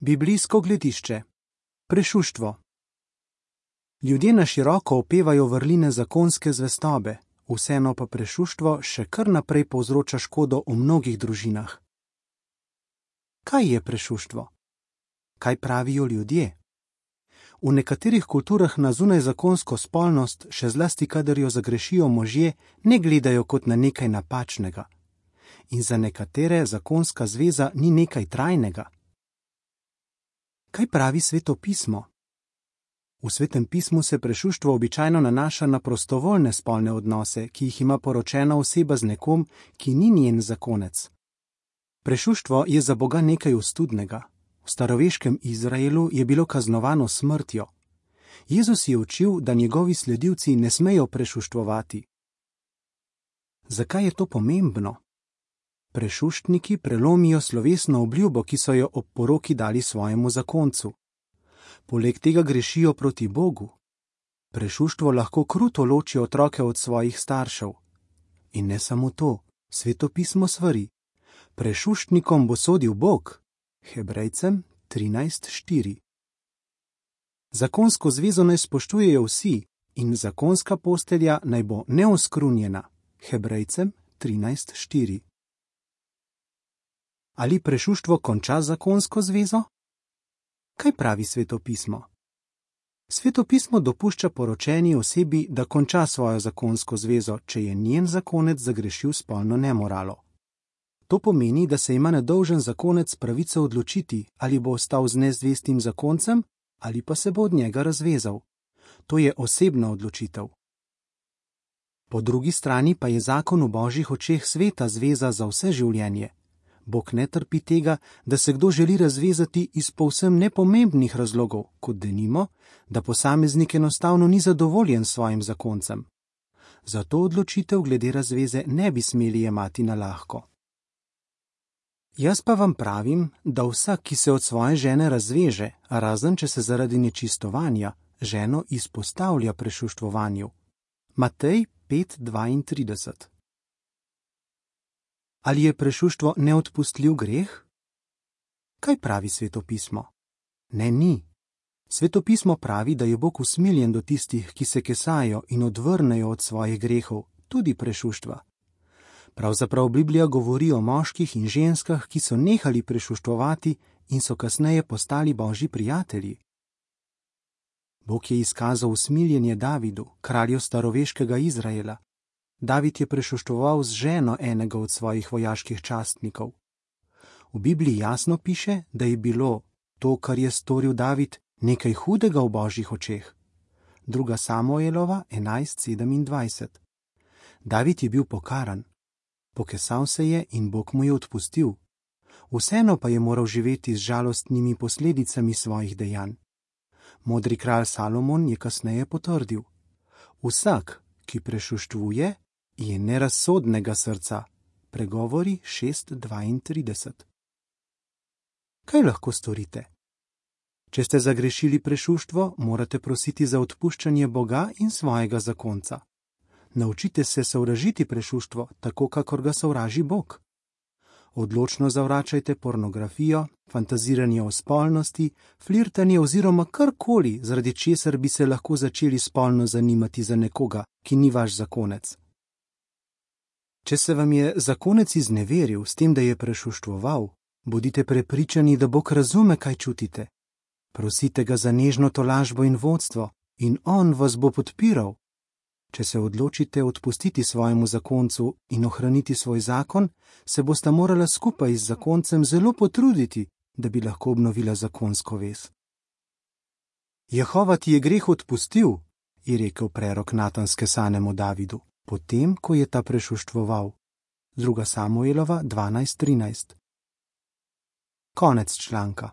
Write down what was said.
Biblijsko gledišče. Prešuštvo. Ljudje na široko opevajo vrline zakonske zvestobe, vseeno pa prešuštvo še kar naprej povzroča škodo v mnogih družinah. Kaj je prešuštvo? Kaj pravijo ljudje? V nekaterih kulturah na zunajzakonsko spolnost, še zlasti kadar jo zagrešijo možje, ne gledajo kot na nekaj napačnega. In za nekatere zakonska zveza ni nekaj trajnega. Kaj pravi Sveto pismo? V Svetem pismu se prešuštvo običajno nanaša na prostovoljne spolne odnose, ki jih ima poročena oseba z nekom, ki ni njen zakonec. Prešuštvo je za Boga nekaj ostudnega. V staroveškem Izraelu je bilo kaznovano smrtjo. Jezus je učil, da njegovi sledilci ne smejo prešuštvovati. Zakaj je to pomembno? Prešuštniki prelomijo slovesno obljubo, ki so jo ob poroki dali svojemu zakoncu. Poleg tega grešijo proti Bogu. Prešuštvo lahko kruto loči otroke od svojih staršev. In ne samo to, Sveto pismo svari. Prešuštnikom bo sodil Bog. Hebrejcem 13:4. Zakonsko zvezo naj spoštujejo vsi in zakonska postelja naj bo neoskrunjena. Hebrejcem 13:4. Ali prešuštvo konča zakonsko zvezo? Kaj pravi Sveto pismo? Sveto pismo dopušča poročeni osebi, da konča svojo zakonsko zvezo, če je njen zakonec zagrešil spolno nemoralo. To pomeni, da se ima nedolžen zakonec pravico odločiti, ali bo ostal z nezvestim zakoncem, ali pa se bo od njega razvezal. To je osebna odločitev. Po drugi strani pa je zakon v Božjih očeh sveta zveza za vse življenje. Bog ne trpi tega, da se kdo želi razvezati iz povsem nepomembnih razlogov, kot denimo, da posameznik enostavno ni zadovoljen s svojim zakoncem. Zato odločitev glede razveze ne bi smeli jemati na lahko. Jaz pa vam pravim, da vsak, ki se od svoje žene razveže, razen če se zaradi nečistovanja, ženo izpostavlja prešuštvovanju. Matej 5:32. Ali je prešuštvo neodpustljiv greh? Kaj pravi Sveto pismo? Ne, ni. Sveto pismo pravi, da je Bog usmiljen do tistih, ki se kesajo in odvrnejo od svojih grehov, tudi prešuštva. Pravzaprav Biblija govori o moških in ženskah, ki so nehali prešuštvovati in so kasneje postali Božji prijatelji. Bog je izkazal usmiljenje Davidu, kralju staroveškega Izraela. David je prešuštvoval z ženo enega od svojih vojaških častnikov. V Bibliji jasno piše, da je bilo to, kar je storil David, nekaj hudega v Božjih očeh. 2. Samuelova 11:27. David je bil pokaran. Pokesal se je in Bog mu je odpustil. Vseeno pa je moral živeti z žalostnimi posledicami svojih dejanj. Modri kralj Salomon je kasneje potrdil: vsak, ki prešuštvuje, je nerazsodnega srca. Pregovori 6:32. Kaj lahko storite? Če ste zagrešili prešuštvo, morate prositi za odpuščanje Boga in svojega zakonca. Naučite se sovražiti prešuštvo, tako kakor ga sovraži Bog. Odločno zavračajte pornografijo, fantaziranje o spolnosti, flirtanje oziroma karkoli, zaradi česar bi se lahko začeli spolno zanimati za nekoga, ki ni vaš zakonec. Če se vam je zakonec izneveril s tem, da je prešuštvoval, bodite prepričani, da Bog razume, kaj čutite. Prosite ga za nežno tolažbo in vodstvo in on vas bo podpiral. Če se odločite odpustiti svojemu zakoncu in ohraniti svoj zakon, se bosta morala skupaj z zakoncem zelo potruditi, da bi lahko obnovila zakonsko vez. Jehova ti je greh odpustil, je rekel prerok Natan skesanemu Davidu, potem, ko je ta prešuštvoval. 2. Samuelova 12:13. Konec članka.